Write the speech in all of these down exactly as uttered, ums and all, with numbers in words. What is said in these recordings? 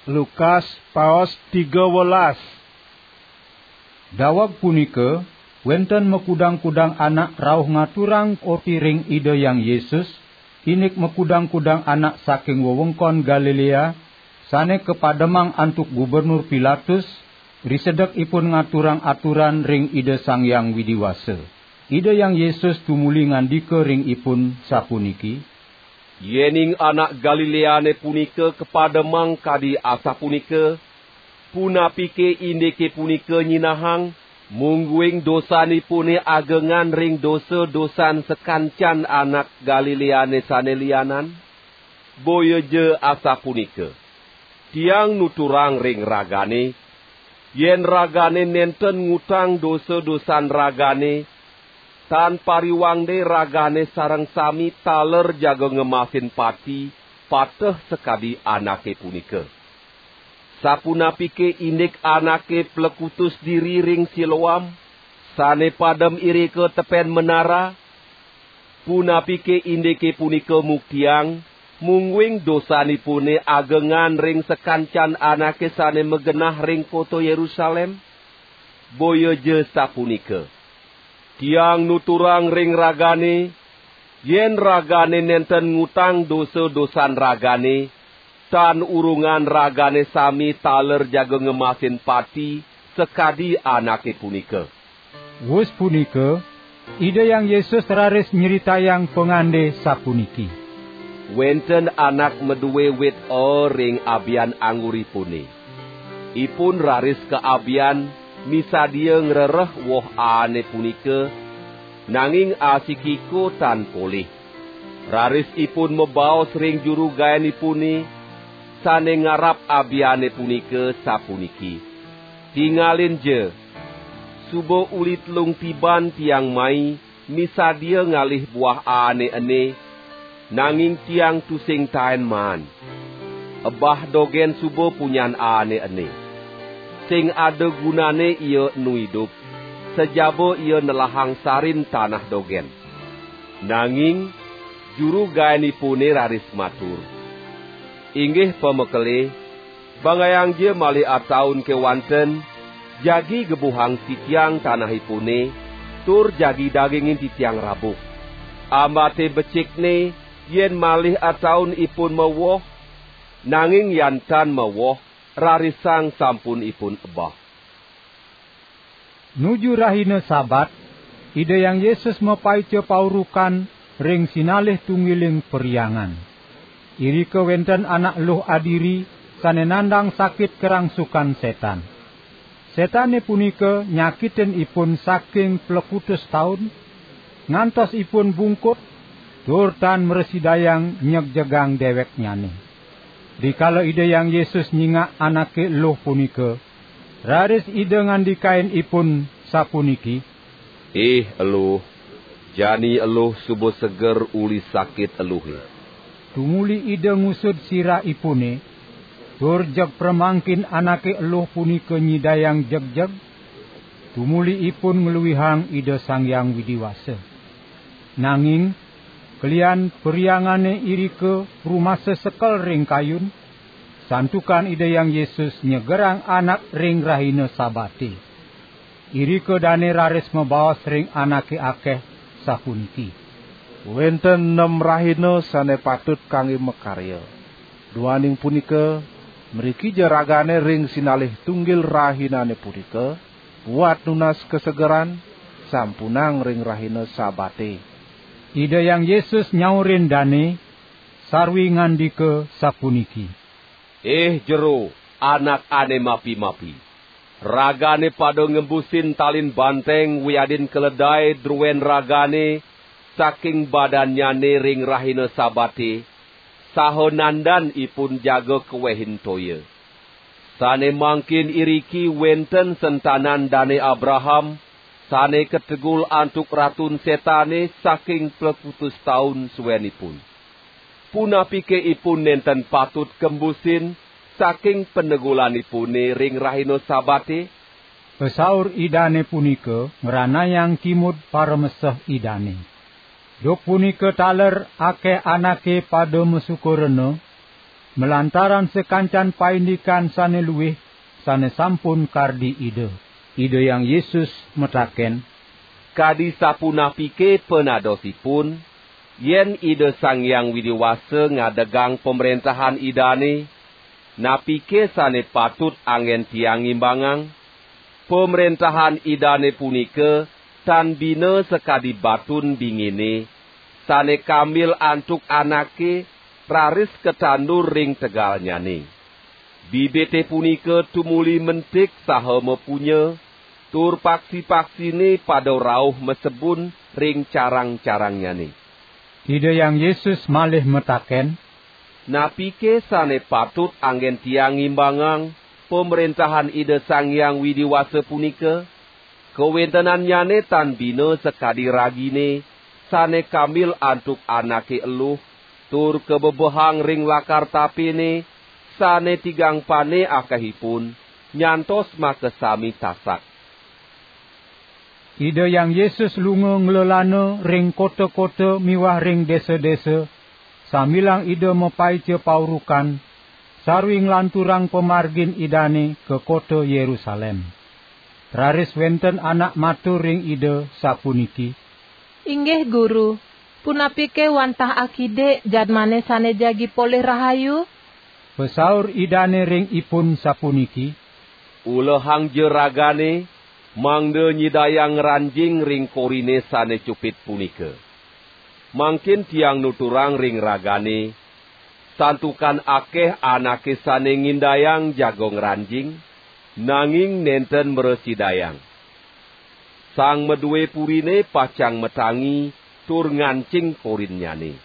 Lukas paos tiga welas. Daweg punika, wenten makudang-kudang anak rauh ngaturang orti ring Ida Hyang Yesus, indik makudang-kudang anak saking wewengkon Galilea, sane kapademang antuk Gubernur Pilatus, risedek ipun ngaturang aturan ring Ida Sang Hyang Widi Wasa. Ida Hyang Yesus tumuli ngandika ring ipun sapuniki, "Yening anak Galileane punika kapademang kadi asapunika, punapike indike punika nyinahang, mungguing dosanipune agengan ring dosa-dosan sakancan anak Galileane sane lianan? Boyaja asapunika. Tiang nuturang ring ragane, yen ragane nenten ngutang dosa-dosan ragane, tan pariwangde ragane sareng sami taler jaga ngemasin pati pateh sakadi anake punika. Sapunapike indik anake plekutus diri ring Siloam, sane padem irika tepen menara? Punapike indike punika muktiang, mungguing dosanipune agengan ring sakancan anake sane magenah ring kota Yerusalem? Boyaja sapunika. Tiang nuturang ring ragane, yen ragane nenten ngutang dosa-dosan ragane, tan urungan ragane sami taler jaga ngemasin pati sakadi anake punika." Wus punika, Ida Hyang Yesus raris nyritayang pangande sapuniki, "Wenten anak madue wit o ring abian angguripune. Ipun raris kaabian misadia ngrereh woh aane punika, nanging asikiko tan polih. Raris ipun mabaos ring juru gaenipune, sane ngarap abiane punika, sapuniki, 'Tingalin ja, suba uli telung tiban tiang mai misadia ngalih buah aane ene, nanging tiang tusing taen maan. Ebah dogen suba punyan aane ene. Sing ada gunane ia enu idup, sajaba ia nelahang sarin tanah dogen.' Nanging juru gaenipune raris matur, 'Inggih pamekelé, bangayang ja malih ataun kewanten, jagi gebuhang titiang tanahipune, tur jagi dagingin titiang rabuh. Ambate becikne yen malih ataun ipun mawoh, nanging yan tan mawoh, rarisang sampun ipun ebah.'" Nuju rahina Sabat, Ida Hyang Yesus mapaica paurukan ring sinalih tunggiling perhyangan. Irika wenten anak eluh adiri sane nandang sakit karangsukan setan. Setane punika nyakitin ipun saking plekutus taun, ngantos ipun bungkut, tur tan mrasidayang nyegjegang deweknyane. Rikala Ida Hyang Yesus nyingak anake eluh punika, raris Ida ngandikain ipun sapuniki, "Ih eluh, jani eluh suba seger uli sakit eluhe." Tumuli Ida ngusud sirahipune, tur jeg pramangkin anake eluh punika nyidayang jegjeg, tumuli ipun ngluihang Ida Sang Hyang Widi Wasa. Nanging, kelian perhyangane irika rumasa sekel ring kayun, santukan Ida Hyang Yesus nyegerang anak ring rahina Sabate. Irika dane raris mabaos ring anake akeh, sapuniki, "Wenten nem rahina sane patut kangge makarya. Duaning punika, mriki ja ragane ring sinalih tunggil rahinane punika, buat nunas kasegeran, sampunang ring rahina Sabate." Ida Hyang Yesus nyaurin dane, sarwi ngandika sapuniki, "Ih jero, anak ane mapi-mapi! Ragane pada ngembusin talin banteng wiadin keledai druen ragane saking badannyane ring rahina Sabate, saha nandan ipun jaga kawehin toya. Sane mangkin iriki wenten sentanan Dane Abraham, sane kategul antuk Ratun Setane saking plekutus taun suenipun. Punapike ipun nenten patut kembusin saking panegulanipune ring rahina Sabate?" Pasaur Idane punika ngranayang kimud parameseh Idane. Duk punika taler akeh anake pada masuka rena, malantaran sakancan paindikan sane luih sane sampun kardi Ida. Ida Hyang Yesus mataken, "Kadi sapunapike panadosipun, yen Ida Sang Hyang Widi Wasa ngadegang Pamrentahan Idane? Napike sane patut anggen tiang ngimbangang? Pamrentahan Idane punika tan bina sakadi batun bingine, sane kambil antuk anake, raris katandur ring tegalnyane. Bibite punika tumuli mentik saha mapunya, tur paksi-paksine pada rauh masebun ring carang-carangnyane." Ida Hyang Yesus malih mataken, "Napike sane patut anggen tiang ngimbangang Pamrentahan Ida Sang Hyang Widi Wasa punika? Kawentenannyane tan bina sakadi ragine, sane kambil antuk anake eluh, tur kabebehang ring lakar tapene, sane tigang pane akehipun, nyantos makasami tasak." Ida Hyang Yesus lunga nglelana ring kota-kota miwah ring desa-desa, sambilang Ida mapaica paurukan, sarwi nglanturang pamargin Idane ka kota Yerusalem. Raris wenten anak matur ring Ida, sapuniki, "Inggih Guru, punapike wantah akidik jadmane sane jagi polih rahayu?" Pasaur Idane ring ipun, sapuniki, "Ulehangja ragane, mangda nyidayang ngranjing ring korine sane cupit punika. Mangkin tiang nuturang ring ragane, santukan akeh anake sane ngindayang jaga ngranjing, nanging nenten mrasidayang. Sang madue purine pacang matangi tur ngancing korinnyane.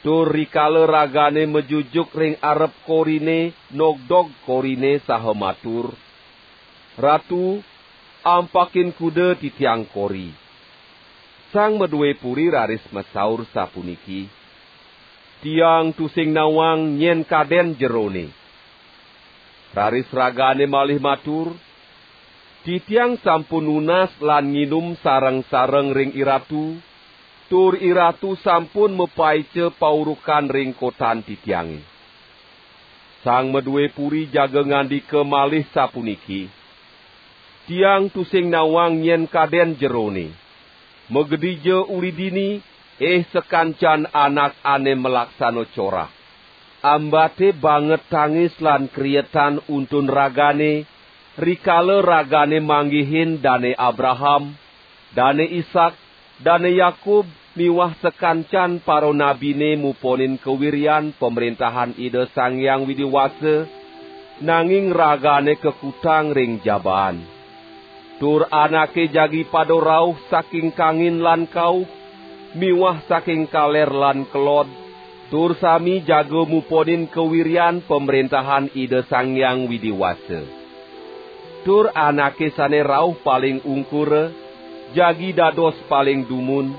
Tur rikala ragane majujuk ring arep korine, nogdog korine saha matur, 'Ratu, ampakin kuda titiang kori.' Sang madue puri raris masaur sapuniki, 'Tiang tusing nawang nyen kaden jerone.' Raris ragane malih matur, 'Titiang sampun nunas lan nginum sareng-sareng ring iratu, tur iratu sampun mapaica paurukan ring kotan titiange.' Sang madue puri jaga ngandika malih sapuniki, 'Tiang tusing nawang nyen kaden jerone. Makedija uli dini, eh, sakancan anak ane malaksana corah. Ambate banget tangis lan krietan untun ragane, rikala ragane manggihin Dane Abraham, Dane Isak, Dane Yakub miwah sakancan paranabine muponin kawiryan Pamrentahan Ida Sang Hyang Widi Wasa, nanging ragane kakutang ring jabaan. Tur anake jagi pada rauh saking kangin lan kauh, miwah saking kaler lan kelod, tur sami jaga muponin kawiryan Pamrentahan Ida Sang Hyang Widi Wasa. Tur anake sane rauh paling ungkura, jagi dados paling dumun,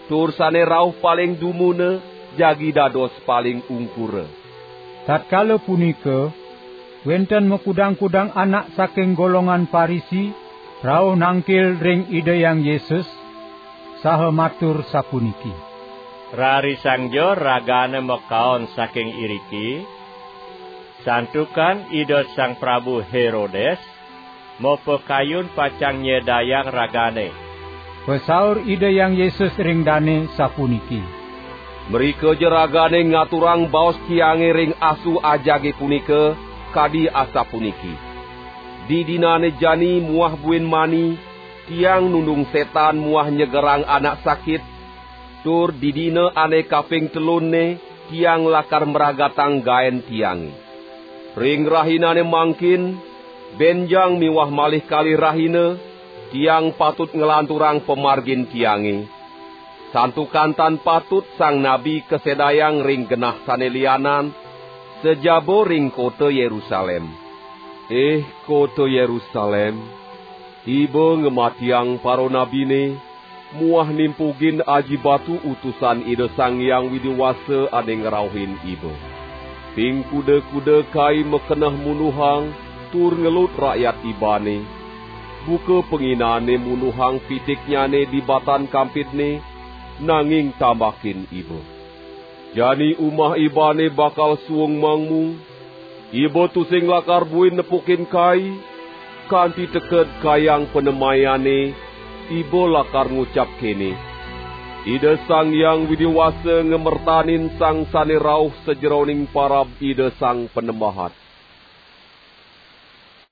tur sane rauh paling dumuna, jagi dados paling ungkura." Tatkala punika, wenten makudang-kudang anak saking golongan Parisi rauh nangkil ring Ida Hyang Yesus, saha matur sapuniki, "Rarisangja ragane makaon saking iriki, santukan Ida Sang Prabu Herodes mapakayun pacang nyedayang ragane." Pasaur Ida Hyang Yesus ring dane sapuniki, "Mrikaja ragane ngaturang baos tiange ring asu ajage punika, kadi asapuniki: Didinane jani muah buin mani, tiang nundung setan muah nyegerang anak sakit, tur didina ane kaping telunne tiang lakar mragatang gaen tiange. Ring rahinane mangkin, benjang miwah malih kalih rahina, tiang patut nglanturang pamargin tiange. Santukan tan patut sang nabi kasedayang ring genah sane lianan, sajaba ring kota Yerusalem. Eh, kota Yerusalem, iba ngamatiang paranabine, muah nimpugin aji batu utusan Ida Sang Hyang Widi Wasa ane ngrauhin iba. Ping kuda-kuda kai makeneh munduhang tur ngelut rakyat ibane, buka panginane munduhang pitiknyane di batan kampidne, nanging tambakin iba." Jani umah ibane bakal suung mangmu, iba tusing lakar buin nepukin kai, kanti teked kayang panemayane, iba lakar ngucap kene: Ida Sang Hyang Widi Wasa ngamertanin sang sane rauh sajeroning parab Ida Sang Panembahan.